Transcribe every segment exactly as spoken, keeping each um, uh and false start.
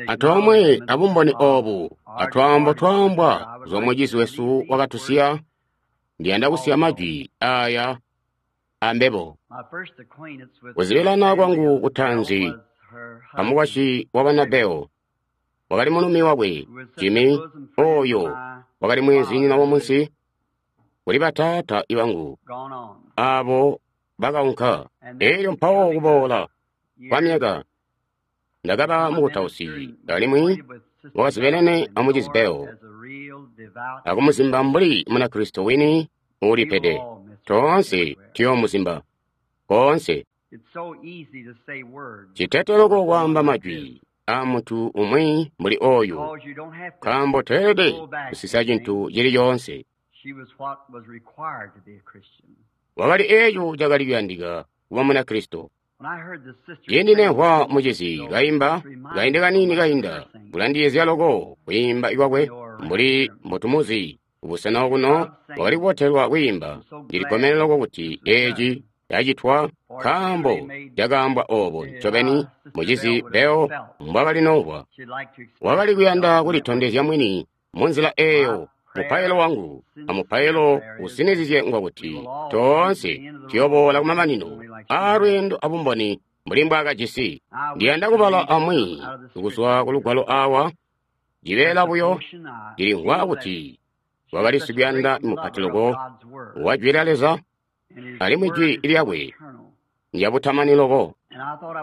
Antoomwe abumboni oobu atwaambo twaambwa kuzwa mucizi wesu wakatusiya, ndiyanda kusiya majwi aaya ambebo. Kuzibilana kwangu kutaanzi amukwasyi wa Bana wakali mulumi wakwe Jimmy, ooyo wakali mweenzinyina wamunsi kuli bataata bangu aabo bakaunka. Eelyo mpawo kuboola kwamyaka ndakaba mukutausi alimwi wakazibelene amucizi Bell akumuzimba mbuli Munakristo wini uulipede. Toonse tuyoomuzimba koonse. Citete loko kwaamba majwi aamuntu umwi mbuli ooyu, nkaambo toelede kusisa cintu cili coonse. Wakali eeco cakali kuyandika kuba Munakristo. Ciindi nemvwa mucizi kaimba kaindi kaniini kainda, kulandiyeezya loko kwiimba kwakwe mbuli mbotumuzi kubusena okuno wakali kubotelwa kwiimba. Ndilikkomene loko kuti eeci cacitwa nkaambo cakaambwa oobo ncobeni mucizi Bell mbwakalinomvwa. Wakali kuyanda kulitondezya mwini munzila eeyo. Mupailo wangu amupailo usinizizye ngwakuti toonse tuyooboola kumamanino aalweendo abumboni mbuli mbwaakajisi. Ndiyanda kubala amwi kuzwa kulugwalo aawa cibeela buyo ndilimvwa kuti wakali sikuyanda mupati loko wa Jwi lya Leza alimwi Jwi lyakwe ndyabutamani loko.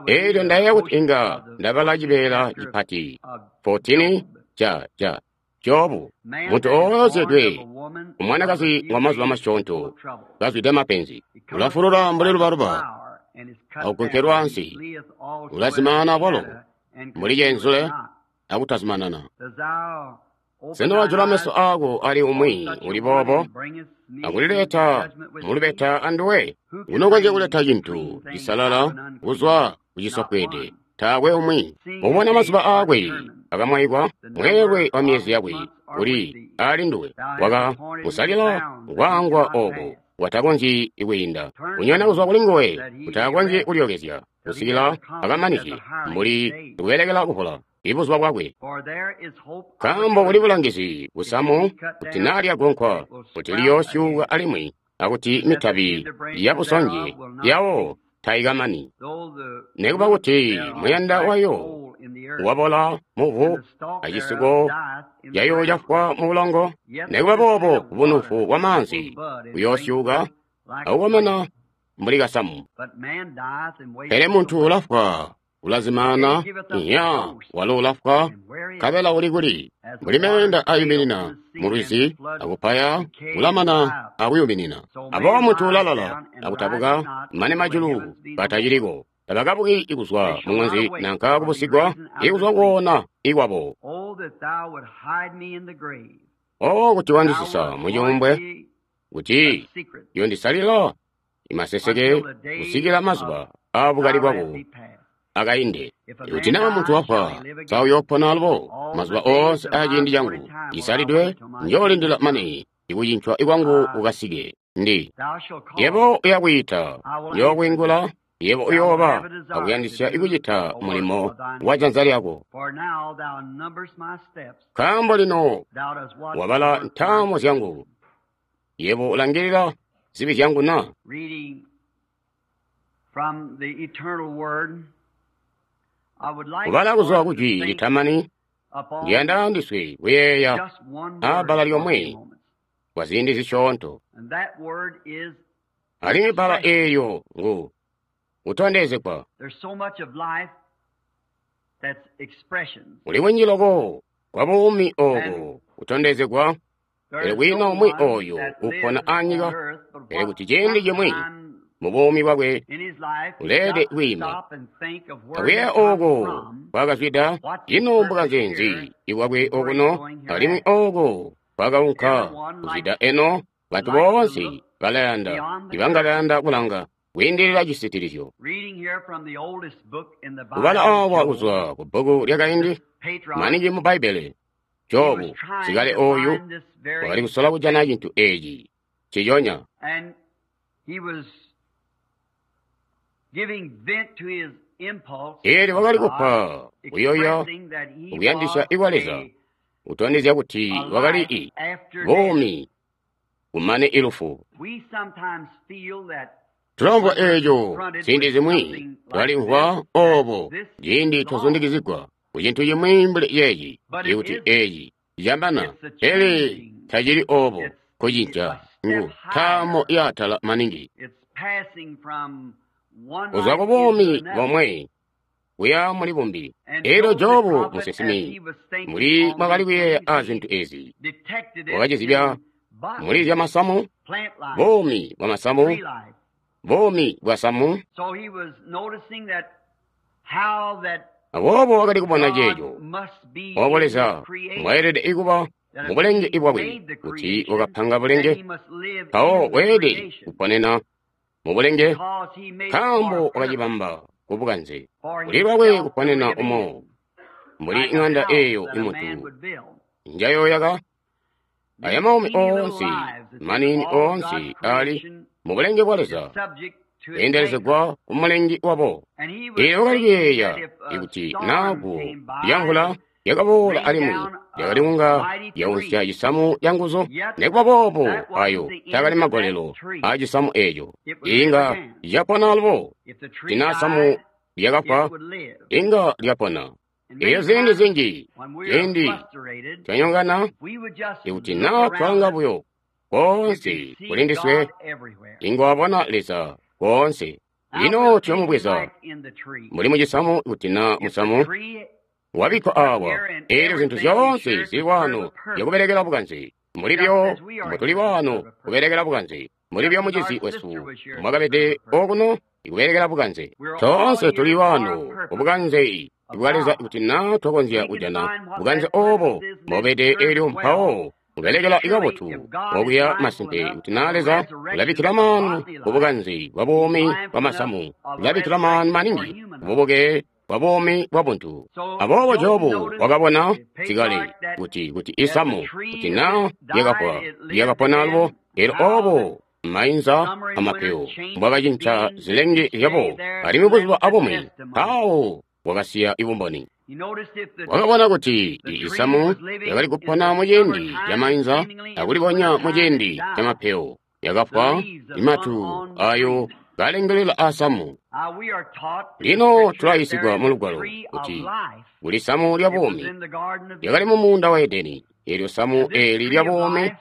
Eelyo ndayeeya kuti inga ndabala cibeela cipati fourteen ca ca Jobu, muntu oozyedwe umwanakazi wamazuba masyoonto kazwide mapenzi, ulafulula mbuli lubaluba akugonkelwa ansi, ulazimaana bwalo mbuli cenzule akutazimanana. Sena wajula meso aako ali umwi uli boobo akulileta mulubeta anduwe? Unokonzya kuleta cintu cisalala kuzwa kucisofweede. Taakwe umwi ubona mazuba aakwe akamwaikwa, mweelwe wa myezi yakwe uli ali nduwe. Waka musalila kwaangwa ooko watakonzyi kwiinda, kunyona kuzwa kuli nguwe kuti akonzye kulyokezya kusikila akamanizye mbuli kubelekela kuvola ibuzuba bwakwe. Nkaambo kuli bulangizi busamu kuti naa lyagonkwa kuti liyoosyuuka alimwi akuti mitabi yabusonje yawo taikamani. Nikuba kuti muyanda wayo wabola muvu acisiko yayo cafwa mubulongo, nikuba boobo bunufu bwamaanzi buyoosyuuka akukomena mbuli kasamu. Pele muntu ulafwa ulazimaana, nya walo ulafwa nkabela uli kuli mbuli meenda ayuminina mulwizi akupaya ulamana akuyuminina. Aboobo muntu ulalala akutabuka mane majulu kataciliko. Tabakabuki kuzwa muŋanzi nanka kubusigwa ikuzwa koona ikwabo. O kuti wandisisa mucuumbwe, kuti yondisalila imaseseke kusikila mazuba aabukali bwako akainde. Kuti naa muntu wafwa, sa uyoopona alubo mazuba oonse aaciindi cangu cisalidwe, njoolindila mane ikucincwa kwangu kukasike. Ndi yebo uyakwiita, njookwiingula. Yebo uyooba akuyandisya ikucita mulimo wa janza lyako. Nkaambo lino wabala ntaamo zyangu, yebo ulangilila zibi zyangu na? Kubala kuzwa kujwi litamani, ndiyanda ndiswe kuyeeya aabbala lyomwe kwa ziindi zisyoonto. Alimwi bbala eelyo ngu kutondezegwa. Kuli kunji loko kwa buumi ooko kutondezegwa, pele kwiina umwi ooyo upona anyika, pele kuti ciindi cimwi mubuumi bwakwe uleelede kwiima akuyeeya ooko kwakazwida, ino mbukanze nzi ibwakwe okuno alimwi ooko kwakaunka kuzwida eno. Bantu boonse balayanda ibanga bayanda kulanga kwiindilila cisitilizyo. Kubala aawa kuzwa ku bbuku lyakaindi maningi mu Bbaibbele, Jobu sikale ooyu wakali kusola kujana cintu eeci nciconya. Eelyo wakali kupa kuyoya kuyandisya ikwa Leza, kutondezya kuti wakali i buumi kumane ilufu. Tulamvwa eeco ziindi zimwi, twalimvwa oobo ciindi twazundikizigwa ku cintu cimwi mbuli yeeci, ikuti eeci cambana, pele tacili oobo. Kucinca ngu ntaamo yaatala maningi. Kuzwa ku buumi bomwe kuya muli bumbi. Eelyo Jobu musinsimi muli mwakali kuyeeya a zintu ezi, wakacizibya muli zyamasamu, buumi bwa masamu, buumi bwa samu. Aboobo wakali kubona ceeco obo Leza mbwaelede kuba mu bulenge bwakwe, kuti wakapanga bulenge, mpawo weelede kuponena mu bulenge, nkaambo wakacibamba ku bukanze. Kuli lwakwe kuponena umo mbuli ng'anda eeyo imuntu njayoyaka. Aya maumi oonse maniini oonse ali mu bulenge bwa Leza kweendelezegwa ku mulengi wabo. Eelyo wakali kuyeeya ikuti naaguwo lyamvula lyakaboola alimwi lyakali kunga lyaunsya cisamu ca nguzu, nikuba boobo ayo taakali magolelo aa cisamu eeco. Inga lyapona alubo. Tina samu lyakafwa, inga lyapona. Eelyo ziindi zinji, ciindi twanyongana, ikuti naa twalanga buyo koonse kuli ndiswe, inga wabona Leza koonse. Lino tuyomubweza mbuli mucisamu, ikuti naa musamu wabikkwa awa, eelyo zintu zyoonse zili waano zyakubelekela bukanze. Mulibyo mbutuli waano kubelekela bukanze, mulibyo mucizi wesu mwakabede okuno ikubelekela bukanze. Toonse tuli waano kubukanze bwa Leza, kuti naa twakonzya kujana bukanze oobo mbobede, eelyo mpawo kubelekela ikabotu okuya masimpe, kuti naa Leza ulabikkila maanu ku bukanze bwa buumi bwa masamu, ulabikkila maanu maningi kububuke bwa buumi bwa buntu. Aboobo Jobu wakabona sikale kuti kuti isamu kuti naa lyakafwa lyakapona alubo, eelyo oobo mainza amapeyo mbwakacinca zilenge zyabo, alimwi buzuba abumwi mpawo wakasiya ibumboni. Wakabona kuti isamu lyakali kupona muciindi ca mainza akulibonya muciindi ca mapeyo, yakafwa imatu ayo kalengelela asamu. Lino tulayisigwa mu Lugwalo kuti kuli samu lya buumi lyakali mu muunda wa Edeni. Eelyo samu eeli lya buumi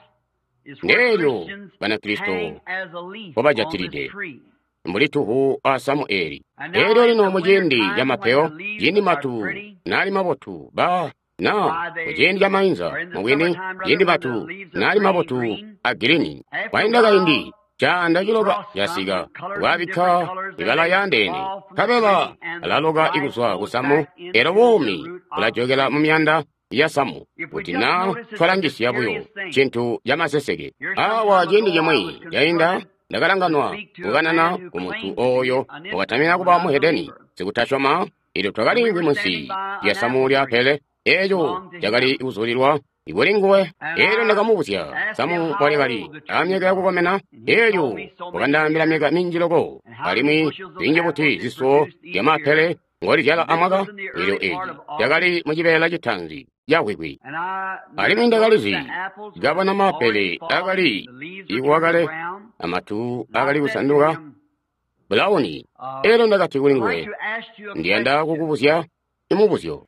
ndeelyo Banakristo mpobajatilide mbuli tuhu asamu eeli. Eelyo lino muciindi ca mapeyo, ciindi matu naali mabotu ba na muciindi ca mainza, mubwini ciindi matu naali mabotu a girini, kwainda kaindi caanda ciloka casika kwabikka ibala yaandeene, nkabela alaloka ikuzwa kusamu, eelyo buumi bulajokela mu miyanda ya samu. Kuti naa twalangisya buyo cintu camaseseke awa, ciindi cimwi cainda ndakalanganwa kukanana ku muntu ooyo wakatamina kuba muhedeni sikutasyoma. Eelyo twakaliimvwi munsi lya samu lya apele, eeco cakali kuzulilwa kuli nguwe. Eelyo ndakamubuzya samu mbwalyakali amyaka yakukomena, eelyo wakandaambila myaka minji loko, alimwi zinji buti zisuwo zyamaapele ngolizyala amwaka. Eelyo eeci cakali mucibeela citaanzi cahwikwi, alimwi ndakalizi kabona maapele akali ikuwa kale, amatu akali kusanduka bulawuni. Eelyo ndakati kuli nguwe, ndiyanda kukubuzya imubuzyo.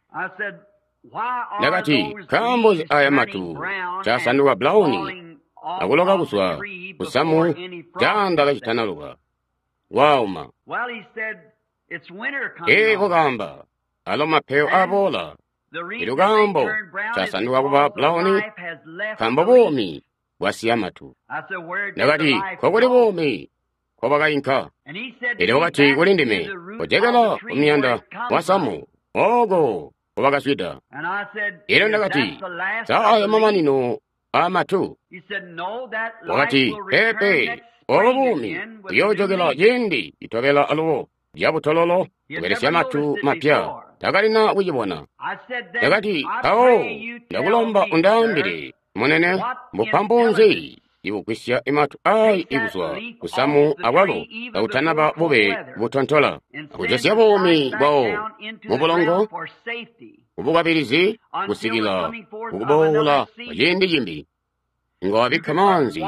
Ndakati, nkaambo nzi aya matu casanduka bulawuni akuloka kuzwa kusamu caanda kacitanaluka wauma? Ee, wakaamba, alo mapeyo aboola. Eelyo kaambo casanduka kuba bulawuni nkaambo buumi bwasiya matu. Ndakati, nkokuli buumi nkobwakainka? Eelyo wakati kuli ndime, kojokela kumuyanda wasamu ooko nkobakazwida. Eelyo ndakati, sa aya mamanino aamatu? Wakati, peepe, oobo buumi buyoojokela ciindi citobela alubo lyabutololo kubelesya matu mapya. Takalina kucibona. Ndakati, mpawo ndakulomba undaambile, munene, mbupampu nzi ibugwisya imatu ayi ikuzwa kusamu awalo kakutanaba bube butontola akujosya buumi bwawo mu bulongo kubukwabilizi kusikila kukuboola kwa ciindi cimbi. Nga wabikka maanzi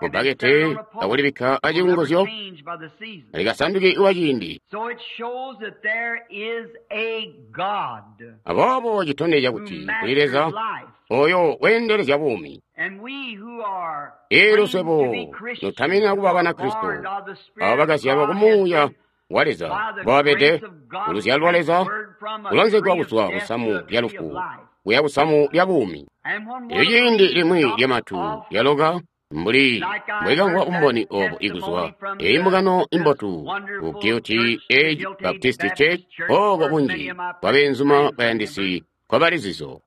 mu bbakete akulibikka acikunguzyo likasanduki wa ciindi. Aboobo citondezya kuti kuli Leza oyo weendelezya buumi. Eelyo swebo nutaminina kuba Banakristo, abo bakazyalwa ku Muuya wa Leza, mbobabede kuluzyalo lwa Leza, kulonzegwa kuzwa kusamu lya lufu kuya kusamu lya buumi. Elyo ciindi limwi lyamatu lyaloka, mbuli mbwekamvwa umboni obo ikuzwa eyi mbungano imbotu ku Guilty Age Baptist Church, oko bunji bwa beenzuma bayandisi kwabali zizo.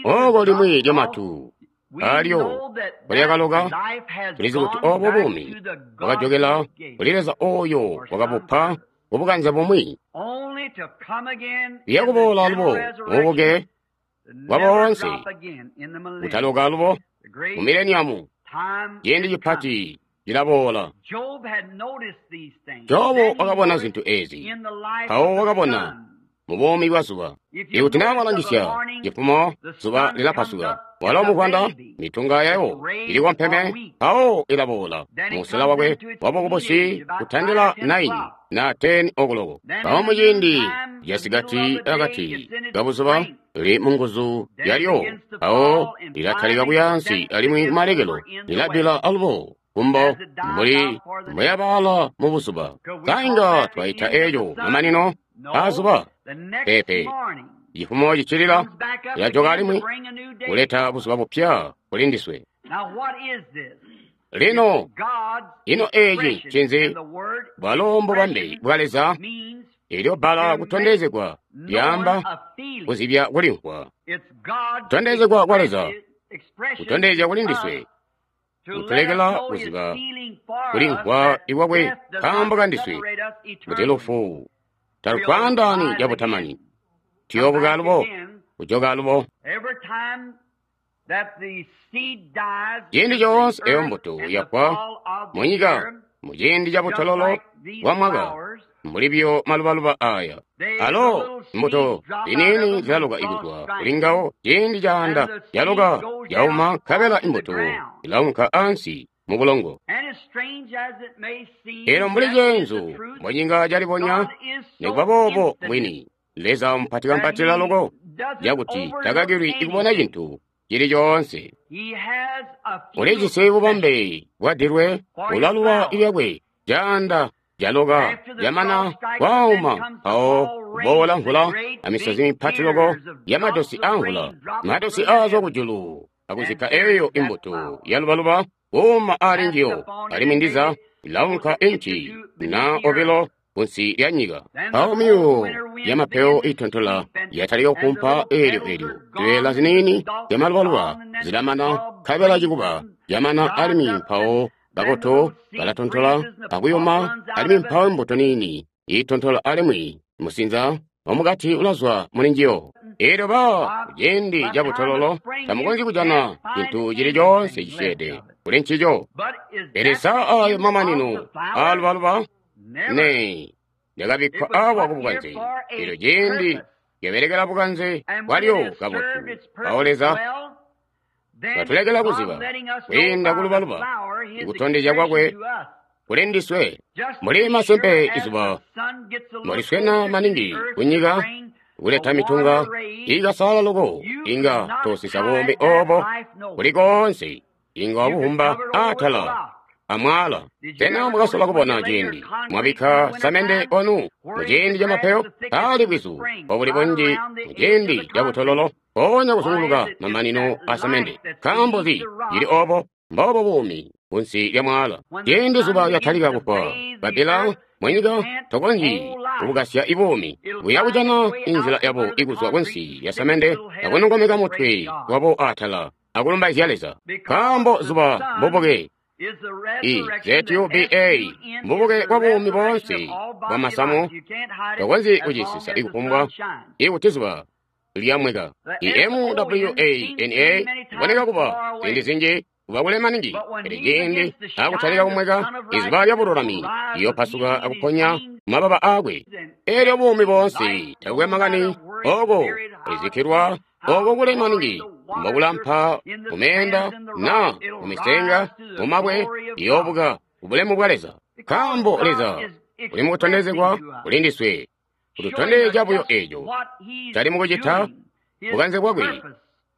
Oko limwi lyamatu alyo lyakaloka, tulizi kuti obo buumi bwakajokela kuli Leza oyo wakabupa kubukanze bumwi. Liyakuboola alubo mububuke bwa boonse, kutaloka alubo mu mileniamu, ciindi cipati cilaboola. Jobu wakabona zintu ezi, mpawo wakabona mu buumi bwa zuba. Ikuti naa mwalangisya cifumo, zuba lilapasuka, walo muvwanda mitunga yayo ili kompeme, mpawo ilaboola musela wakwe wabukubusi kutandila naini na teni okuloko. Mpawo muciindi casikati akati kabuzuba lili munguzu yalyo, mpawo lilatalika kuyaansi alimwi kumalekelo lilabila alubo kumbo mbuli mbweyabaala mu buzuba. Kainga twaita eeco mamanino aazuba? Peepe. Cifumo cicilila lilajoka alimwi kuleta buzuba bupya kuli ndiswe. Lino ino eeci ncinzi? Bwalo mbubambe bwa Leza. Elyo bbala kutondezegwa lyaamba kuzibya kulimvwa. Kutondezegwa kwa Leza kutondezya kuli ndiswe, kutulekela kuziba kulimvwa ikwakwe nkaambo kandiswe, kuti lufu talutwaandaani cabutamani. Tuyoobuka alubo, kujoka alubo. Ciindi coonse eyo mbuto yafwa munyika muciindi cabutololo bwa mwaka, mbuli biyo malubaluba aya, alo mbuto ziniini zilaloka ikuzwa kuli ngawo. Ciindi caanda yaloka yauma, nkabela imbuto ilaunka ansi mu bulongo. Elo mbuli ceenzu mbwecinga calibonya, nikuba boobo mwini Leza mupatikampatila loko cakuti takakilwi ikubona cintu cili coonse. Ulijisi bubambe bwadilwe, ulaluba ilyakwe caanda caloka camana kwauma, mpawo kuboola mvula amisozi mipati loko yamadosi amvula, madosi aazwa kujulu akuzikka eyo imbuto yalubaluba kuuma ali njiyo, alimwi ndiza ilaunka inci na obilo kunsi lya nyika. Mpawo myuuwo yamapewo itontola yatalika kukumpa eelyo eelyo zibeela ziniini zyamalubaluba zilamana, nkabela cikuba camana, alimwi mpawo bakoto balatontola akuyuma, alimwi mpawo mbuto niini itontola alimwi musinza wamukati ulazwa muli njiyo. Eelyo ba kuciindi cabutololo tamukonzyi kujana cintu cili coonse cisyeede kuli ncico. Pele sa ayo mamanino aalubaluba? Ne lyakabikkwa awa kubukanze. Eelyo ciindi lyabelekela bukanze bwalyo kabotu, mpawo Leza katulekela kuziba kwiinda kulubaluba ikutondezya kwakwe kuli ndiswe. Mbuli masempe izuba mboliswena maningi kunyika kuleta mitunga ikasaala loko, inga tosisa buumi obo kuli koonse, inga wabuhumba atala amwala. Sena mwakasola kubona ciindi mwabikka samende onu muciindi camapeyo pali bwizu obuli bunji muciindi cabutololo, mpoonya kuzunguluka mamanino a samende? Nkaambo zi cili obo? Mboobo buumi kunsi lya mwala. Ciindi zuba lyatalika kufwa babila munyika, tokonzyi kubukasya ibuumi buya kujana inzila yabo ikuzwa kunsi lya samende akunongomeka mutwe wabo atala akulumbaizya Leza, nkaambo zuba mbubuke. I Z U B A mbubuke bwa buumi boonse bwa masamu. Tokonzyi kucisisa ikufumbwa ikuti zuba lyamweka. I M W A N A iboneka kuba ziindi zinji kuba kule maningi. Pele ciindi akutalika kumweka, izuba lya bululami liyopasuka akuponya mababa aakwe. Elyo buumi boonse takukwe makani oko kulizikilwa oko kule maningi mbokulampa mumeenda na mumisenga mumabwe iyoobuka kubulemu bwa Leza. Nkaambo Leza uli mukutondezegwa kuli ndiswe, kututondezya buyo eco cali mukucita bukanze bwakwe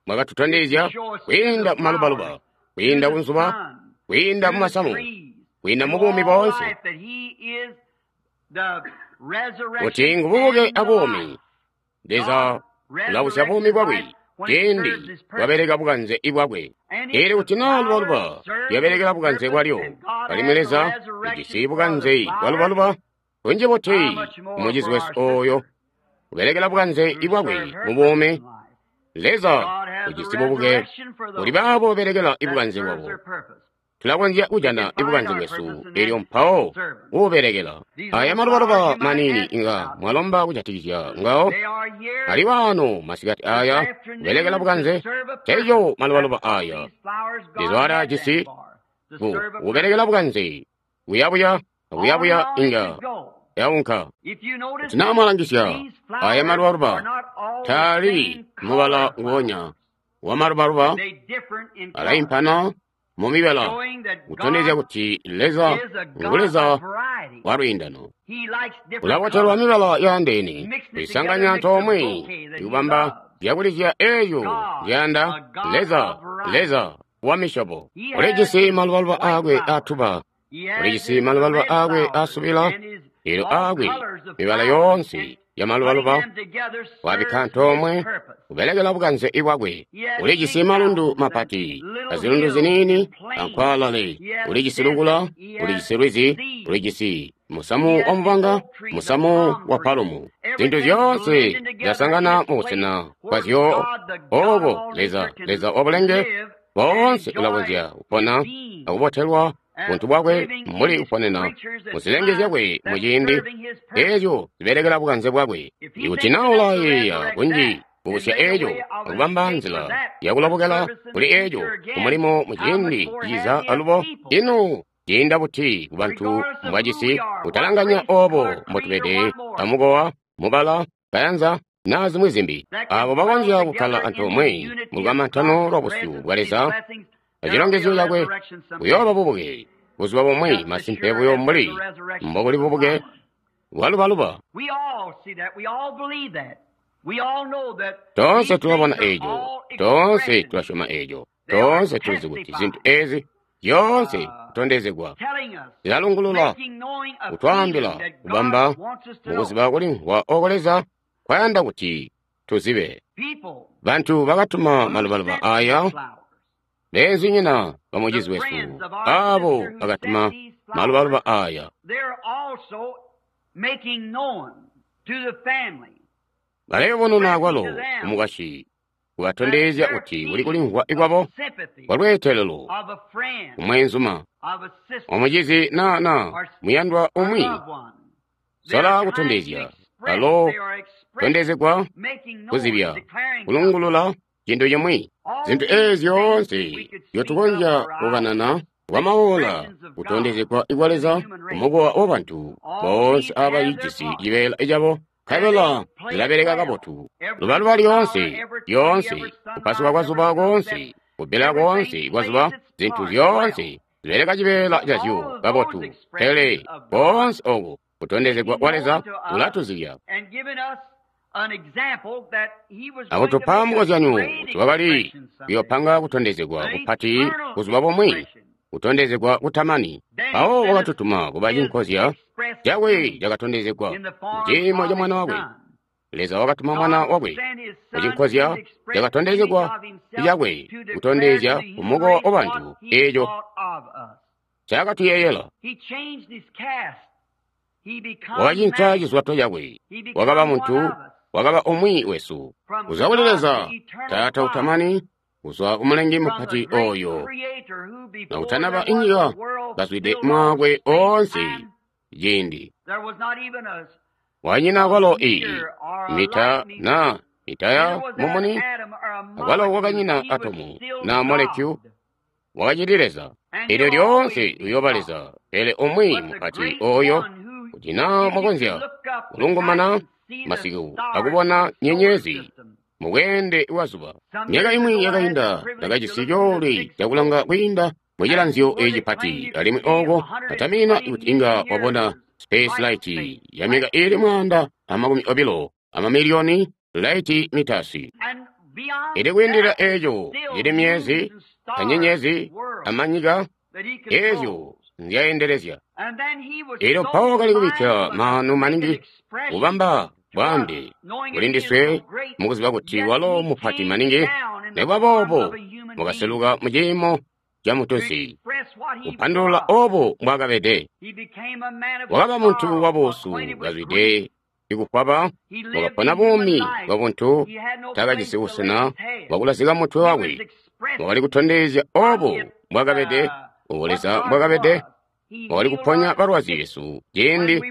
bwakatutondezya kwiinda mumalubaluba, kwiinda kunzuba, kwiinda mumasamu, kwiinda mubuumi boonse, kuti ngububuke abuumi. Leza ulabusya buumi bwakwe ciindi bwabeleka bukanze bwakwe. Eelyo kuti naa lubaluba lyabelekela bukanze bwalyo, alimwi Leza ujisi bukanze bwalubaluba kunji buti umucizi wesu ooyo ubelekela bukanze bwakwe mubuumi. Leza ujisi bubuke kuli baabo babelekela ibukanze bwabo. Tulakonzya kujana ibukanze bwesu elyo mpawo kuubelekela. Aya malubaluba maniini inga mwalomba kujatikizya ngawo ali waano masikati aya kubelekela bukanze. Teeco malubaluba aya Leza ajisi ku kubelekela bukanze kuyabuya akuyabuya inga yaunka. Kuti naa mwalangisya aya malubaluba taali mubala nguonya wa malubaluba, alaimpana mumibala, kutondezya kuti Leza ngu Leza wa lwiindano. Ulabotelwa mibala yaandeene, kuisanganya antoomwe ikubamba zyakulizya eeyo nzyayanda Leza. Leza wa misyobo ulijisi malubaluba aakwe aatuba, ulijisi malubaluba aakwe aasubila, elyo aakwe mibala yoonse ya malubaluba wabikka antoomwe kubelekela bukanze bwakwe. Ulijisi malundu mapati azilundu ziniini ankwaalale, ulijisi lukula, ulijisi lwizi, ulijisi musamu wa mubanga, musamu wa palumu. Zintu zyoonse zyasangana mubusena bwazyo ooko Leza, Leza wabulenge boonse ulakonzya kupona akubotelwa buntu bwakwe mbuli kuponena muzilenge zyakwe muciindi eeco zibelekela bukanze bwakwe. Ikuti naa ulayeeya kunji kubusya eeco akubamba nzila yakulobokela kuli eeco kumulimo muciindi ciza alubo, ino ciinda buti kubantu mbwajisi kutalanganya oobo mbotubede amukowa, mubala, kayanza naa zimwi zimbi, aabo bakonzya kukkala antoomwe mulukamantano lwa busyu bwa Leza acilongezyo cakwe. Kuyooba bubuke buzuba bumwi, masimpe buyo mbuli mbokuli bubuke bwalubaluba. Toonse tulabona eeco, toonse tulasyoma eeco, toonse tulizi kuti zintu ezi zyoonse kutondezegwa zilalungulula, kutwaambila, kubamba mukuziba kulimvwa oko Leza kwayanda kuti tuzibe. Bantu bakatuma malubaluba aya, beenzinyina bamucizi wesu aabo bakatuma malubaluba aya, balayubununa kwalo kumukwasyi, kubatondezya kuti kuli kulimvwa kwabo kwalweetelelo kumweenzuma omucizi naa naa muyandwa umwi. Sola kutondezya balo tondezegwa kuzibya kulungulula cintu cimwi. Zintu eezi zyoonse zyotukonzya kukanana kwamaola kutondezegwa kwa Leza kumukowa wabantu boonse aba ijisi cibeela cabo, nkabela zilabeleka kabotu. Lubaluba lyoonse lyoonse, kupasuka kwa zuba koonse, kubbila koonse kwa zuba, zintu zyoonse zibeleka cibeela cazyo kabotu. Pele koonse oku kutondezegwa kwa Leza kulatuzibya akutupa mukozyanyo kuti wakali kuyopanga kutondezegwa kupati buzuba bumwi, kutondezegwa kutamani. Mpawo wakatutuma kuba cinkozya cakwe cakatondezegwa muciimo ca Mwana wakwe. Leza wakatuma Mwana wakwe mucinkozya cakatondezegwa cakwe kutondezya kumukowa wabantu eeco ncaakatuyeeyela. Wakacinca cizwato cakwe, wakaba muntu, wakaba umwi wesu. Kuzwa kuli Leza Taata utamani, kuzwa kumulengi mupati ooyo nakutanaba inyika, kazwide mwaakwe oonse ciindi. Wanyina kwalo iyi mita na mitaya mumuni, akwalo kwakanyina atomu na molekyu, wakacili Leza. Elyo lyoonse uyooba Leza, pele umwi mupati oyo, kuti naa mwakonzya kulungumana masiku akubona nyenyezi mubweende bwa zuba. Myaka imwi yakainda ndakajisi coolwe cakulanga kwiinda mucilanzyo eci pati, alimwi oko katamina kuti inga wabona space light ya myaka ili mwaanda amakumi obilo amamiliyoni light meters. Ili kwiindilila eco ili myezi anyenyezi amanyika ezyo nzyaendelezya. Elyo mpawo kali kubikka maanu maningi kubamba bwaambe kuli ndiswe mukuziba kuti walo mupati maningi, nikuba boobo mukaseluka mu ciimo ca mutunsi kupandulula obo mbwaakabede. Wakaba muntu wabuusu kazwide ikufwaba, wakapona buumi bwa buntu, taakajisi busena bwakulazika mutwe wakwe. Wakali kutondezya obo mbwaakabede, obo Leza mbwaakabede. Wakali kuponya balwazi besu ciindi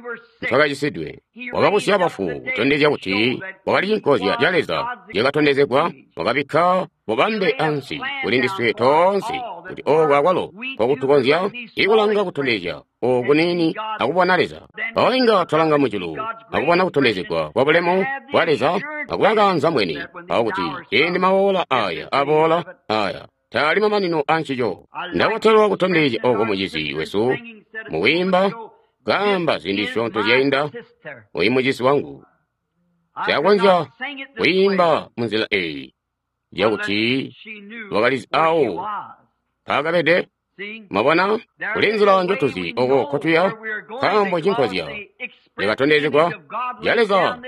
twakacisidwe. Wakabusya bafu kutondezya kuti wakali cinkozya ca Leza cakatondezegwa. Wakabikka bubambe ansi kuli ndiswe toonse kuti ooko akwalo nkokutukonzya ikulanga kutondezya oku niini akubona Leza. Mpawo inga twalanga mujulu akubona kutondezegwa kwa bulemu bwa Leza akuba kaanza mwene, mpawo kuti ciindi mawoola aya aboola, aya taali mamanino ancico. Ndabotelwa kutondezya oko mucizi wesu mukwiimba kaamba ziindi zisyoonto zyainda, oyu mucizi wangu nsiakonzya kwiimba munzila eyi yakuti wakalizi awo mpaakabede. Mwabona, kuli nzila njotuzi oko nkotuya, nkaambo cinkozya cakatondezegwa ca Leza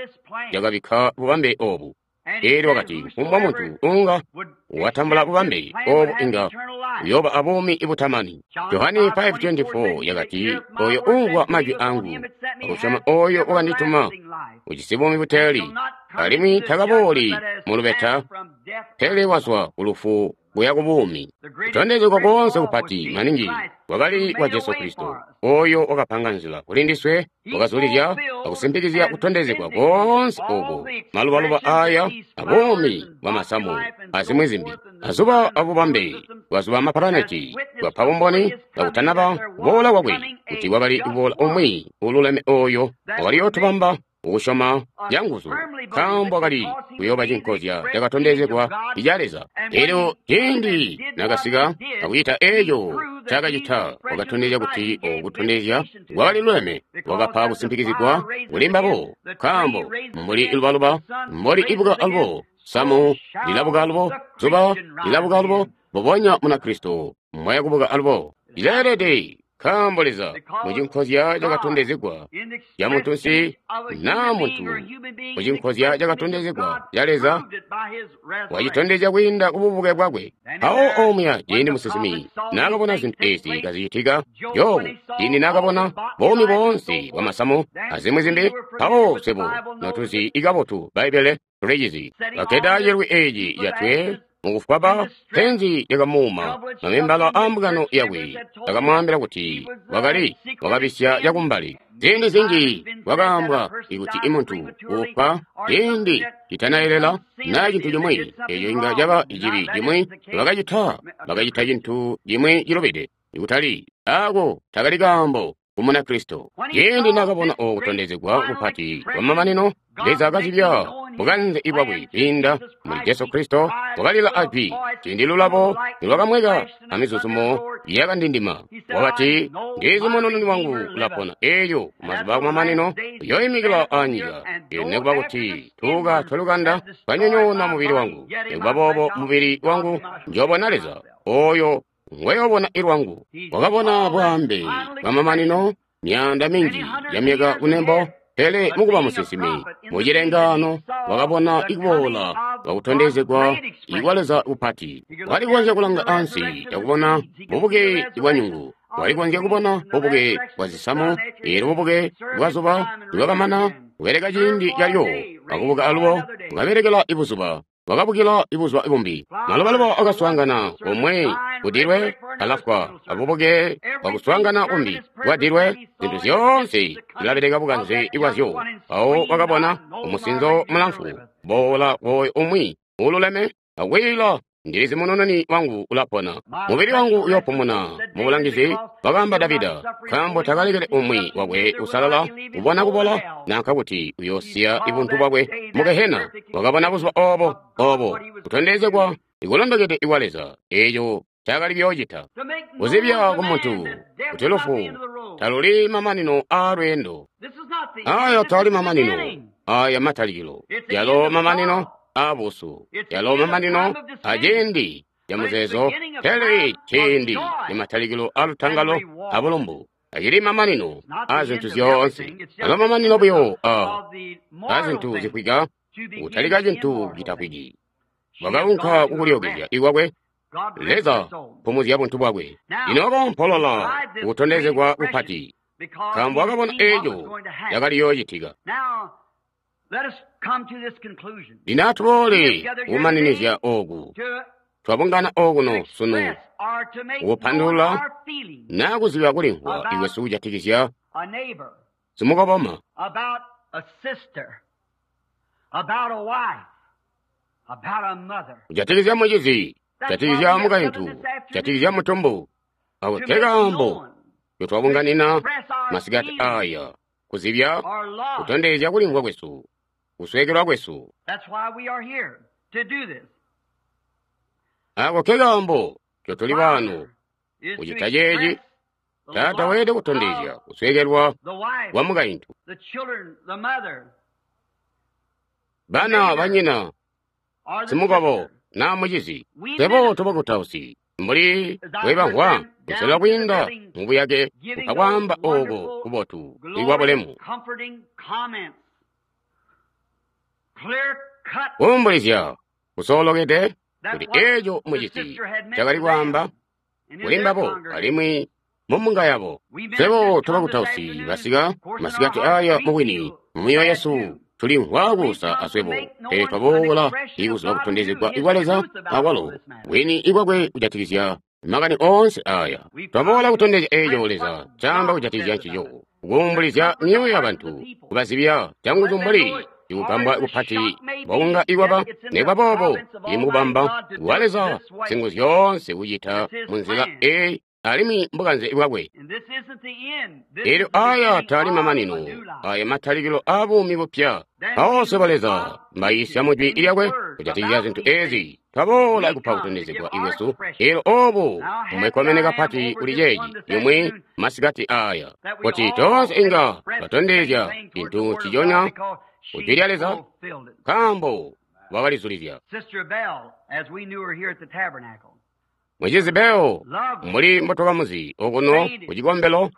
cakabikka bubambe obu. Elyo wakati kufumbwa muntu unga watambula bubambe obu inga uyooba abuumi butamani. Johane five twenty-four yakati, oyo umvwa majwi angu akusyoma oyo wakandituma ujisi buumi buteeli, alimwi takabooli mu lubeta, pele wazwa ku lufu kuya ku buumi. Kutondezegwa koonse kupati maningi kwakali kwa Jesu Kristo, oyo wakapanga nzila kuli ndiswe, wakazulizya akusimpikizya kutondezegwa koonse oku, malubaluba aya abuumi bwa masamu azimwi zimbi, azuba abubambe bwazuba amapulaneti, bwapa bumboni kakutanaba kuboola kwakwe kuti kwakali kuboola umwi ululeme oyo wakali yootubamba ukusyoma canguzu, nkaambo wakali kuyooba cinkozya cakatondezegwa ica Leza. Elyo ciindi nakasika akucita eco ncaakacita, wakatondezya kuti oku kutondezya kwakali luleme, wakapa kusimpikizigwa kuli mbabo, nkaambo mbuli ilubaluba mbuli ibuka alubo, samu lilabuka alubo, zuba lilabuka alubo, mbubonya Munakristo mbwaya kubuka alubo. Lileelede, nkaambo Leza mucinkozya cakatondezegwa ca muntunsi naa muntu mucinkozya cakatondezegwa ca Leza wacitondezya kwiinda kububuke bwakwe. Mpawo omuya ciindi musinsimi naakabona zintu ezi kazicitika, Jobu ciindi naakabona buumi boonse bwa masamu azimwi zimbi, mpawo swebo notuzi ikabotu Bbaibbele tulicizi. Kakkeda cilwi eci catwe mukufwaba, penzi lyakamuuma mamembala aambungano yakwe akamwaambila kuti wakali wakabisya cakumbali. Ziindi zinji kwakaambwa kuti imuntu uufwa ciindi citanayelela naa cintu cimwi, eco inga caba cibi cimwi bakacita, bakacita cintu cimwi cilubide, ikutali ako takali kaambo ku Munakristo. Ciindi naakabona oku kutondezegwa kupati kwamamanino, Leza akazibya bukanze bwakwe kwiinda muli Jesu Kristo, wakalila ajwi ciindi lulabo nilwakamweka amizuzumo yakandindima. Wakati, ndizi munununi wangu ulapona, elyo kumazuba akumamanino uyooimikila anyika. Elyo nikuba kuti tuuka twalukanda twanyonyoona mubili wangu, nikuba boobo mubili wangu njoobona Leza, oyo ngweyoobona ilwangu. Wakabona bwaambe bwamamanino myaanda minji ya myaka kunembo, pele mukuba musinsimi mucilengaano wakabona ikuboola kwakutondezegwa ikwa Leza kupati. Wakali kukonzya kulanga ansi cakubona bubuke bwa nyungu, wakali kukonzya kubona bubuke bwa zisamu, eelyo bubuke bwa zuba nibwakamana kubeleka ciindi calyo, wakubuka alubo wakabelekela ibuzuba, wakabukila ibuzuba bumbi. Malubaluba akaswaangana komwe kudilwe alafwa, abubuke bwakuswaangana kumbi bwadilwe, zintu zyoonse zilabeleka bukanze bwazyo. Mpawo wakabona umusinzo mulamfu boola woyo umwi ululeme akwiila Ndilizi munununi wangu ulapona. Mubili wangu uyopumuna mubulangizi, wakaamba Davida, nkaambo takalekele umwi wakwe usalala kubona kubola nanka kuti uyosiya ibuntu bwakwe mu Gehena. Wakabona buzuba obo obo kutondezegwa ikulondokede ikwa Leza eeco cakali kuyoocita kuzibya ku muntu kuti lufu taluli mamanino aa lweendo. Aya tali mamanino, aya matalikilo, yalo mamanino aabusu, yalo mamanino aciindi ca muzeezo, pele ciindi ni matalikilo alutangalo abulumbu. Acili mamanino a zintu zyoonse, alo mamanino buyo a a zintu zifwika, kutalika cintu citafwiki. Wakaunka kukulyookezya ikwakwe, Leza pumuzya buntu bwakwe. Lino wakoompolola kukutondezegwa kupati, nkaambo wakabona eeco cakali yoocitika. Lino atuboole kukumaninizya ooku. Twabungana okuno sunu kukupandulula naa kuziba kulimvwa ikwesu kujatikizya simukoboma, kujatikizya mucizi, kujatikizya mukaintu, kujatikizya mutumbu. Ako ke kaambo ncotwabunganina masikati aya, kuzibya kutondezya kulimvwa kwesu, kusweekelwa kwesu. Ako ke kaambo ncotuli baano kucita ceeci. Taata weelede kutondezya kusweekelwa kwa mukaintu, bana, banyina, simukobo naa mucizi. Twebo tubakutausi mbuli bwebamvwa kusela kwiinda mubuyake kupa kwaamba ooko kubotu ikwa bulemu, kuumbulizya kusoolokede kuti eeco mucizi cakali kwaamba kuli mbabo alimwi mumbunga yabo. Twebo tubakutausi basika masikati aya mubwini mumyoyo yesu tulimvwa kuusa aswebo, pele twaboola ikuziba kutondezegwa ikwa Leza akwalo bwini ikwakwe kujatikizya makani oonse aya. Twaboola kutondezya eeco Leza caamba kujatikizya ncico, kuumbulizya myoyo yabantu, kubazibya canguzu mbuli ikugambwa kupati mbokunga ikwaba. Nikuba boobo ili mukubamba kwa Leza singuzyoonse kucita munzila eyi alimwi mbukanze bwakwe. Elyo aya tali mamanino, aya matalikilo a buumi bupya. Aonse ba Leza mbayiisya mu Jwi lyakwe kujatikizya zintu ezi. Twaboola kupa kutondezegwa ikwesu, elyo obu mbwekomene kapati kuli ceeci yomwe masikati aya, kuti toonse inga twatondezya cintu nciconya ku Jwi lya Leza, nkaambo wakalizulizya. Mucizi Bell, mbuli mbotwakamuzi okuno ku cikombelo,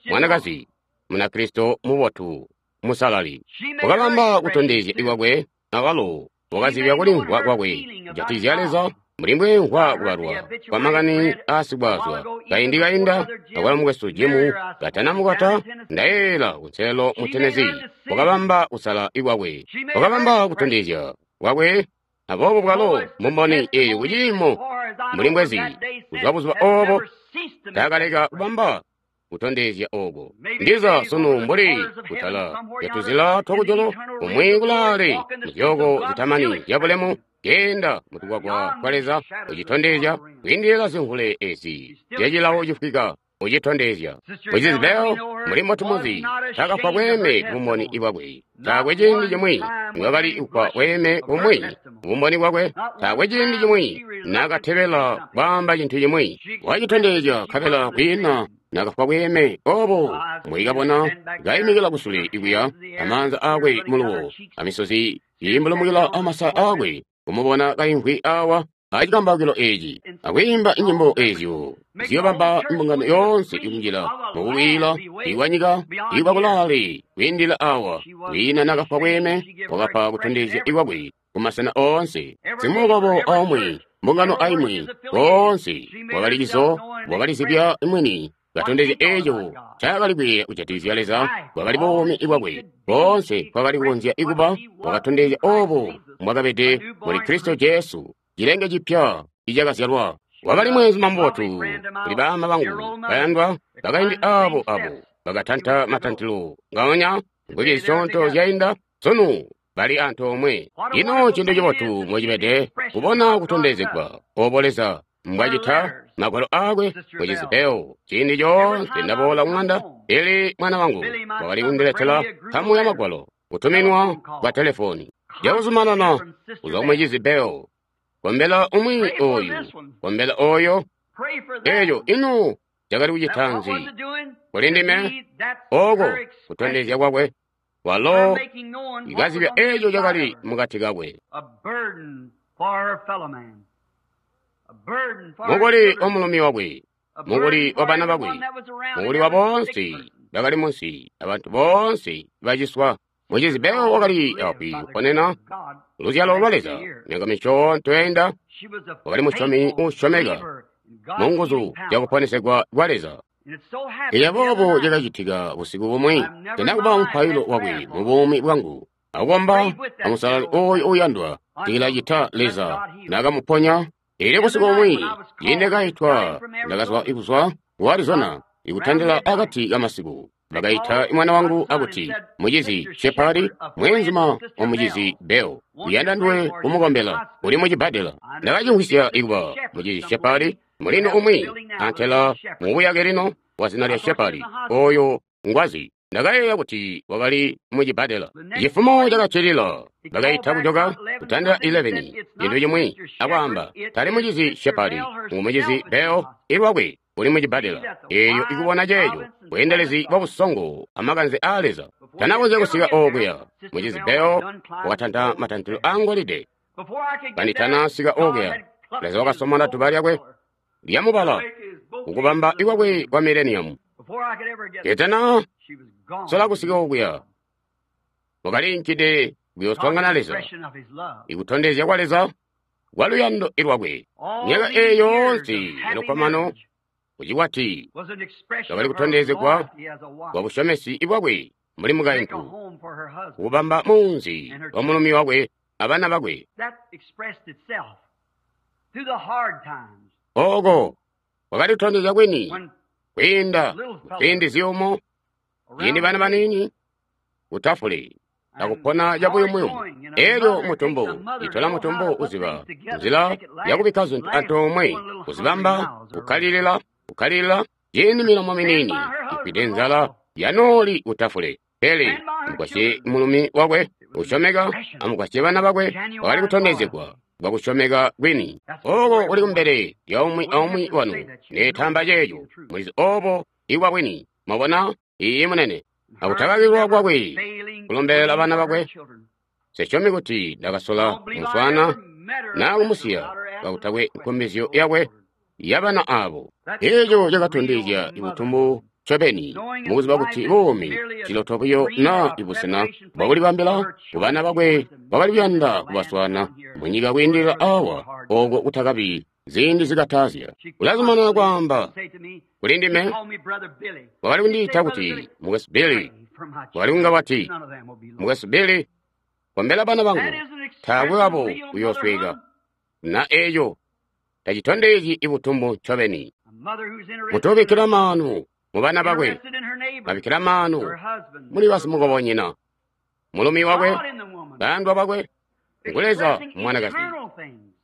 mwanakazi Munakristo mubotu musalali, wakabamba kutondezya ikwakwe awalo wakazibya kulimvwa kwakwe kujatikizya Leza mbuli mbweemvwa kubalwa kwa makani aasikwaazwa. Kaindi kainda akwalo mukwesu Jimu katanamukwata, ndayeeyela kunselelo mu Tennessee, wakabamba kusala ikwakwe, wakabamba kutondezya kwakwe. Aboobo bwalo mbumboni eeyo kuciimo mbuli mbwezi kuzwa buzuba oobo taakaleka kubamba kutondezya ooko. Ndiza sunu mbuli kutala yatuzila twakujulu kumwi kulaale muzyooko zitamani zyabulemu, keenda mutukwakwa twa Leza ucitondezya kwiindilila zimvule ezi zyacilawo cifwika ucitondezya. Mucizi Bell mbuli mbotumuzi taakafwa bweeme kubumboni bwakwe. Taakwe ciindi cimwi niwakali kufwa bweeme bumwi kubumboni bwakwe. Taakwe ciindi cimwi naakatebela kwaamba cintu cimwi. Wacitondezya nkabela kwiina naakafwa bweeme obo mbwikabona kaimikila kusule ikuya amaanza aakwe muluwo amisozi iimbulumukila amasaya aakwe, kumubona kaimvwi awa acikambawukilo eeci akwiimba inyimbo eezyo ziyobamba imbungano yoonse ikunjila mukuwiila ikwanyika ikwakulaale kwiindila awa. Kwiina naakafwa bweeme, wakapa kutondezya ikwakwe kumasena oonse, simukobo aumwi, mbungano aimwi, koonse wakali cizo, wakalizibya mwini katondezya eeco ncaakali kwiiya kujatikizya Leza. Bwakali buumi bwakwe boonse kwakali kukonzya ikuba, wakatondezya oobo mbwakabede muli Kristo Jesu, cilenge cipya icakazyalwa. Wakali mweenzuma mubotu kuli baama bangu bayandwa bakaindi aabo abo bakatanta matantilo ngaonya mvwiki zisyoonto zyainda. Sunu bali antoomwe. Ino cintu cibotu mbocibede kubona kutondezegwa obo Leza mbwacita magwalo aakwe mucizi Bell. Ciindi coonse ndaboola kuŋanda, Billy mwana wangu wakali kundiletela nkamu ya magwalo kutuminwa kwa telefoni. Cakuzumanana kuzwa kumucizi Bell, kombela umwi oyu, kombela oyo. Eeco ino cakali kucita nzi kuli ndime? Oko kutondezya kwakwe walo ikazibya eeco cakali mukati kakwe. Mukuli wa mulumi wakwe, mukuli wa bana bakwe, mukuli wa boonse bakali munsi, abantu boonse baciswa. Mucizi Bell wakali api kuponena luzyalo lwa Leza. Myaka misyoonto yainda wakali musyomi uusyomeka mu nguzu zyakuponesegwa kwa Leza. Elyo boobo cakacitika busiku bumwi, sena kuba mupailo wakwe mu buumi bwangu, akukomba amusalali oyo uuyandwa tikilacita Leza nakamuponya. Elyo busiku bumwi ciindi kaitwa, ndakazwa kuzwa ku Arizona ikutandila akati kamasiku. Bakaita mwana wangu akuti, mucizi Shepard, mweenzuma wa mucizi Bell, uyanda nduwe kumukombela, uli mucibbadela. Ndakacimvwisya ikuba mucizi Shepard, mulino umwi antela mubuyake lino wa zina lya Shepard, oyo ngwazi. Ndakayeeya kuti wakali mucibbadela. Cifumo cakaccilila bakaita kujoka kutandila eleven cintu cimwi akwaamba, tali mucizi Shepard, ngu mucizi Bell ilwakwe uli mucibbadela. Eeyo ikubona ceeco bweendelezi bwa busongo amakanze aa Leza. Tanakonzya kusika okuya. Mucizi Bell wakatanta matantilo aangolide. Kanditanasika okuya, Leza wakasomona duba lyakwe lyamubala kukubamba ikwakwe kwa mileniyamu. Ketana sola kusika okuya, wakaliinkide kuyooswaangana Leza, ikutondezya kwa Leza kwa luyando ilwakwe. Myaka eeyo yoonse yalukkomano kucikwati kakali kutondezegwa kwa busyomesi bwakwe mbuli mukaintu, kukubamba muunzi wa mulumi wakwe abana bakwe. Oko kwakali kutondezya kwini kwiinda ziindi ziyumu, ciindi bana baniini kutafule akupona cabuyumuyumu. Elyo mutumbu itola mutumbu uziba nzila yakubikka zintu antoomwe, kuzibamba, kukkalilila, kukkalilila ciindi milomo miniini ifwide nzala yanooli kutafule. Pele amugwasye mulumi wakwe usyomeka, amugwasye bana bakwe, wakali kutondezegwa kwa kusyomeka kwini. Oko kuli kumbele lya umwi aumwi wanu. Neetamba ceeco mulizi obo ibwa bwini. Mwabona? Iiyi munene. Akutakakilwa kwakwe kulombelela bana bakwe. Sesyomi kuti ndakasola kumuswaana naa kumusiya kakutakwe nkumbizyo yakwe yabana abo. Eeco cakatondezya ibutumbu ncobeni mukuziba kuti buumi ciloto buyo naa ibusena bwakulibambila kubana bakwe bakali kuyanda kubaswaana munyika kwiindilila awa oko kutakabi ziindi zikatazya. Ulazumanana kwaamba kuli ndime, wakali kundiita kuti mukwesu Billy. Wakali kunga wati, mukwesu Billy, kombela bana bangu, taakwe wabo uyoosweka. Na eeco tacitondezyi ibutumbu ncobeni. Mutubikkila maanu mu bana bakwe, babikkila maanu muli basimukobonyina, mulumi wakwe, bayandwa bakwe, ngu Leza mwanakazi,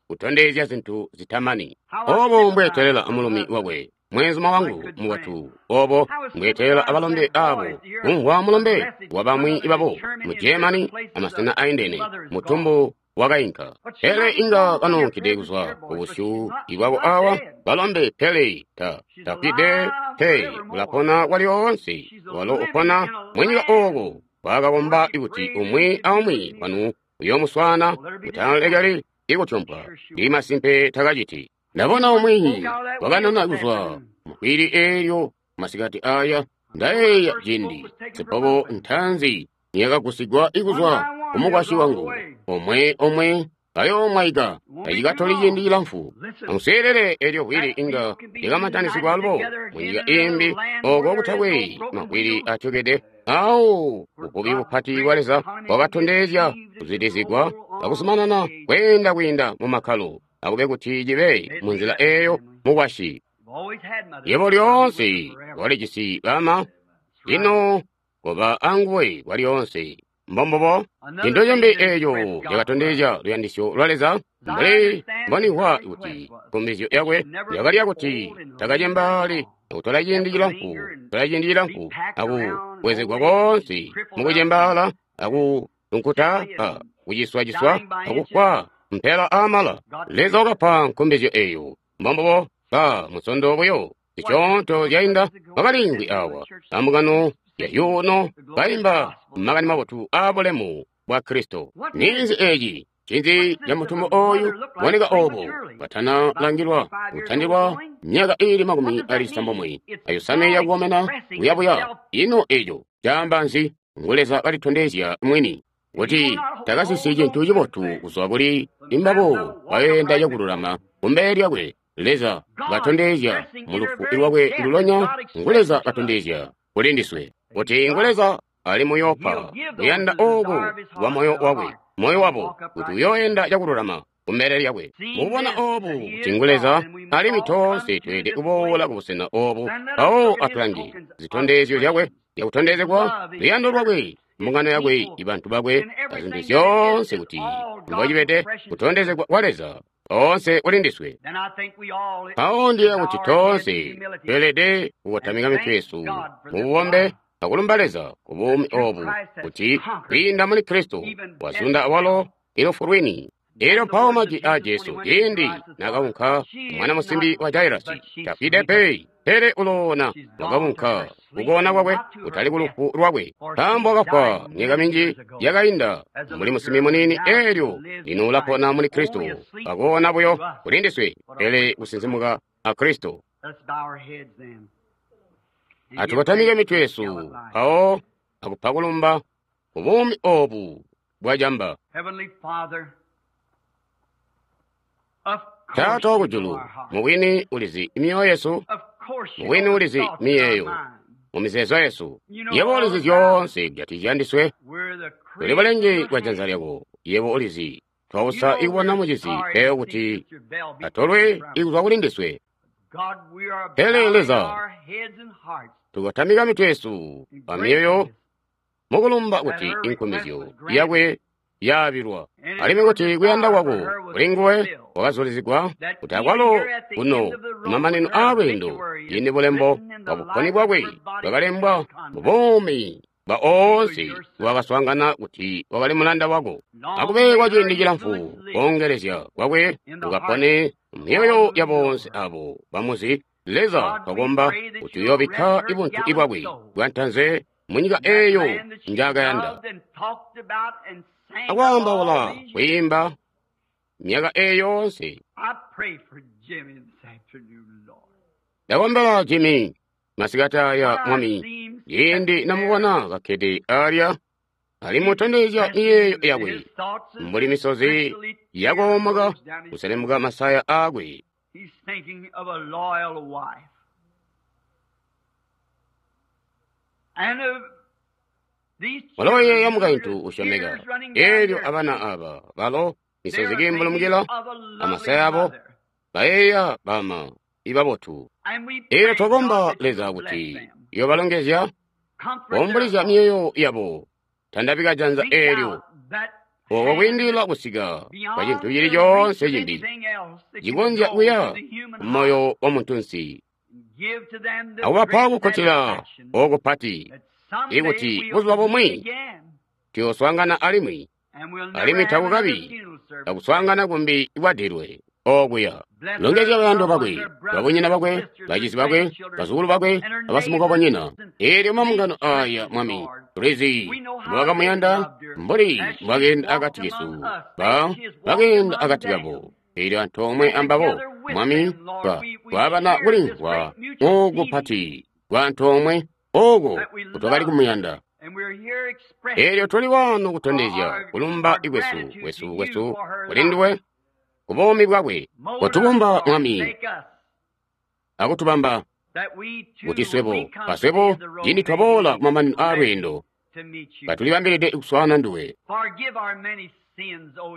kutondezya zintu zitamani. Obo mbweetelela amulumi wakwe, mwenzuma wangu mukwatu, obo mbweetelela abalombe abo, kumvwa mulombe wa bamwi babo mu Germany amasena aindene, mutumbu wakainka. Pele inga kanunkide kuzwa kubusyu ibwako awa balombe, pele ta tafwide pe, ulapona kwalyoonse. Walo upona munyika oko wakakomba kuti umwi aumwi wanu uyoomuswaana, mutalekeli ikutyompwa. Ndi masimpe takaciti. Ndabona umwi wakanona kuzwa mukwili eelyo masikati aya. Ndayeeya ciindi sipobo ntanzi niyakagusigwa ikuzwa kumukwasyi wangu, omwe omwe ayoomwaika tacikatoli ciindi cilamfu. Amuseelele eelyo vwili inga lyakamantanisigwa alubo munyika imbi oko kutakwe mavwili atyokede. Awo buvubi bupati bwa Leza bwakatondezya kuzwidizigwa akuzumanana kweenda kwiinda mu makkalo, akube kuti cibe munzila eeyo mukwasyi. Yebo lyoonse walijisi bama, lino koba anguwe kwalyoonse. Mbombubo. Cintu cimbi eeco cakatondezya luyandisyo lwa Leza mbuli mbonimvwa kuti nkumbizyo yakwe yakali yakuti takacembaali akutola ciindi cilamfu kutola ciindi cilamfu akubwezegwa koonse mukucembaala akutunkuta a kuciswa-ciswa akufwa mpela aamala. Leza wakapa nkumbizyo eeyo. Mbombubo. Ba musondo buyo zisyoonto zyainda wakaliimvwi awa ambungano ya yuno kaimba makani mabotu aabulemu bwa Kristo. Ninzi eci? Ncinzi ca mutumbu oyu boneka obo katana langilwa kutandilwa myaka iili makumi ali cisambomwe ayosanwe yakukomena buyabuya. Ino eco caamba nzi? Ngu Leza kalitondezya mwini kuti takasisi cintu cibotu kuzwa kuli imbabo baenda cakululama kumbele lyakwe. Leza katondezya mu lufu lwakwe lulonya. Ngu Leza katondezya kuli ndiswe kuti ngu Leza ali muyopa kuyanda oku kwa moyo wakwe moyo wabo kuti uyoenda cakululama kumbele lyakwe. Mukubona obu kuti ngu Leza alimwi toonse tweelede kuboola kubusena obu mpawo atulange zitondezyo zyakwe zyakutondezegwa luyando lwakwe, mbungano yakwe, ibantu bakwe, azintu zyoonse kuti mbocibede kutondezegwa kwa Leza oonse kuli ndiswe. Mpawo ndiye kuti toonse tweelede kukotamika mitwe yesu mububombe akulumba Leza ku buumi obu kuti kwiinda muli Kristo wazunda awalo ilufu lwini. Elyo mpawo majwi aa Jesu ciindi nakaunka mwana musimbi wa Jairasi, tafwide pe, pele uloona. Wakaunka kukoona kwakwe kutali kulufu lwakwe, nkaambo wakafwa myaka minji yakainda mbuli musimbi muniini. Elyo lino ulapona muli Kristo, akoona buyo kuli ndiswe, pele kusinsimuka a Kristo. Atukotamike mitwe yesu mpawo akupa kulumba ku buumi obu bwacamba. Taata wakujulu, mubwini ulizi myoyo yesu, mubwini ulizi miyeeyo mu mizeezo yesu. Yebo ulizi zyoonse kujatikizya ndiswe. Tuli bulenge bwa janza lyako. Yebo ulizi twausa ikubona mucizi eyo kuti atolwe ikuzwa kuli ndiswe. Pele Leza, tukotamika mitwe yesu pa myoyo mukulumba kuti inkumizyo yakwe yaabilwa, alimwi kuti kuyanda kwako kuli nguwe kwakazulizigwa, kuti akwalo kuno kumamanino aalweendo yini bulembo bwa buponi bwakwe bwakalembwa mu buumi bwa oonse wakaswaangana kuti wakali mulanda wako. Akube kwa ciindi cilamfu koongelezya kwakwe kukapone myoyo ya boonse abo bamuzi. Leza twakomba kuti uyoobikka ibuntu bwakwe bwantanze munyika eeyo njaakayanda akwaambaula kwiimba myaka eeyo yoonse. Ndakombela Jimmy masikati aya, Mwami, ciindi namubona kakkede alya alimutondezya miyeeyo yakwe mbuli misozi yakoomoka kuselemuka masaya aakwe. Waloyeeya mukaintu usyomeka, eelyo abana aba balo misozi kiimbulumukila amasaya abo bayeeya bama ibabotu. Eelyo twakomba Leza kuti yobalongezya, kuumbulizya myoyo yabo, tandabika janza eelyo oko kwiindilila kusika kwa cintu cili coonse cimbi cikonzya kuya kumoyo wa muntunsi, akubapa kukkutila okupati ikuti buzuba bumwi tuyooswaangana alimwi, alimwi takukabi akuswaangana kumbi kwadilwe okuya. Longezya bayandwa bakwe, babunyina bakwe, bacizi bakwe, bazukulu bakwe, abasimukobonyina. Eelyo mambungano aya, Mwami, tulizi mbwakamuyanda mbuli mbwakeenda akati kesu, ba bakeenda akati kabo. Eelyo antoomwe ambabo, Mwami, twa twabana kulimvwa okupati kwa antoomwe oko kutwakali kumuyanda. Eelyo tuli wano kutondezya kulumba kwesu kwesu kwesu kuli nduwe ku buumi bwakwe. Kotubumba, Mwami, akutubamba kuti swebo aswebo ciindi twaboola kumamanino aalweendo katulibambilide kuswaana nduwe.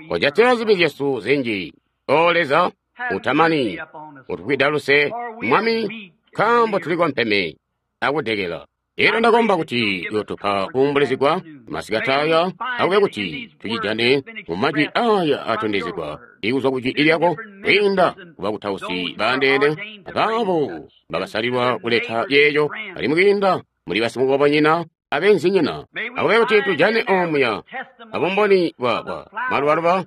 Kojatila zibi zyesu zinji, O Leza utamani, utufwida luse, Mwami, nkaambo tuli kompeme akudekela. Elyo ndakomba kuti uyotupa kuumbulizigwa masikati aya, akube kuti tucijane mu majwi aya atondezegwa ikuzwa ku jwi lyako kwiinda kubakutausi baandeene abaabo bakasalilwa kuleta yeeyo, alimwi kwiinda muli basimukobonyina abenzinyina. Akube kuti tujane omuya abumboni bwa bwa malubaluba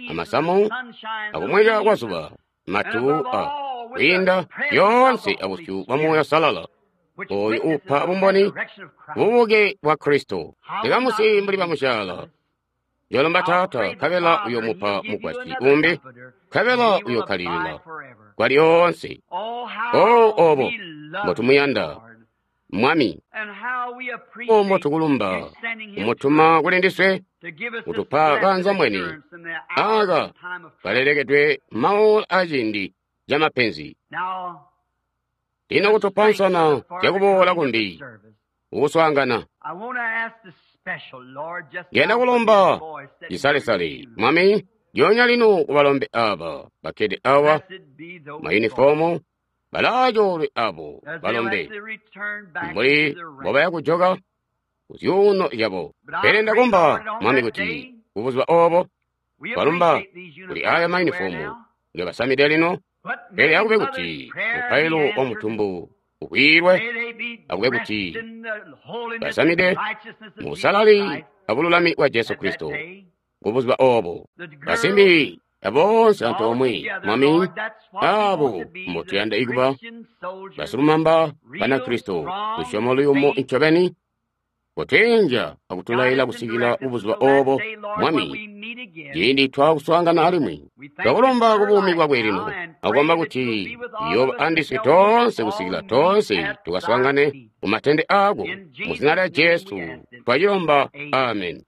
amasamu akumweka kwa zuba matu a kwiinda yoonse abusyu bwa Muuya Uusalala oyo upa bumboni bubuke bwa Kristo. Ndikamusi mbuli bamusyaala yolomba Taata, nkabela uyomupa mugwasyi umbi, nkabela uyokkalilila kwa lyoonse. O obo mbotumuyanda Mwami, o mbotukulumba umutuma kuli ndiswe kutupa kaanzambwene aka kalelekedwe maola aciindi ca mapenzi. Lino kutupa nsana zyakuboola kumbi ukuswaangana. Ndiyanda kulomba cisalesale Mwami, lyoonya lino kubalombe aba bakkede awa mayunifomu balaacoolwe abo balombe mbuli mbobaya kujoka kuzyuuno zyabo. Pele ndakomba Mwami kuti kubuzuba obo balumba kuli aya mayunifomu ngebasamide lino, pele akube kuti mupailo wa mutumbu ukwiilwe, akube kuti basamide mu busalali abululami bwa Jesu Kristo kubuzuba obo. Basimbi aboonse antoomwe Mwami, abo mbotuyanda ikuba basilumamba Banakristo, lusyomo luyumu ncobeni kotweenja akutulaila kusikila kubuzuba obo Mwami, ciindi twaakuswaangana alimwi. Twakulomba kubuumi bwakwe lino, akukomba kuti uyooba andiswe toonse kusikila toonse tukaswaangane ku matende aako. Mu zina lya Jesu twacilomba, amen.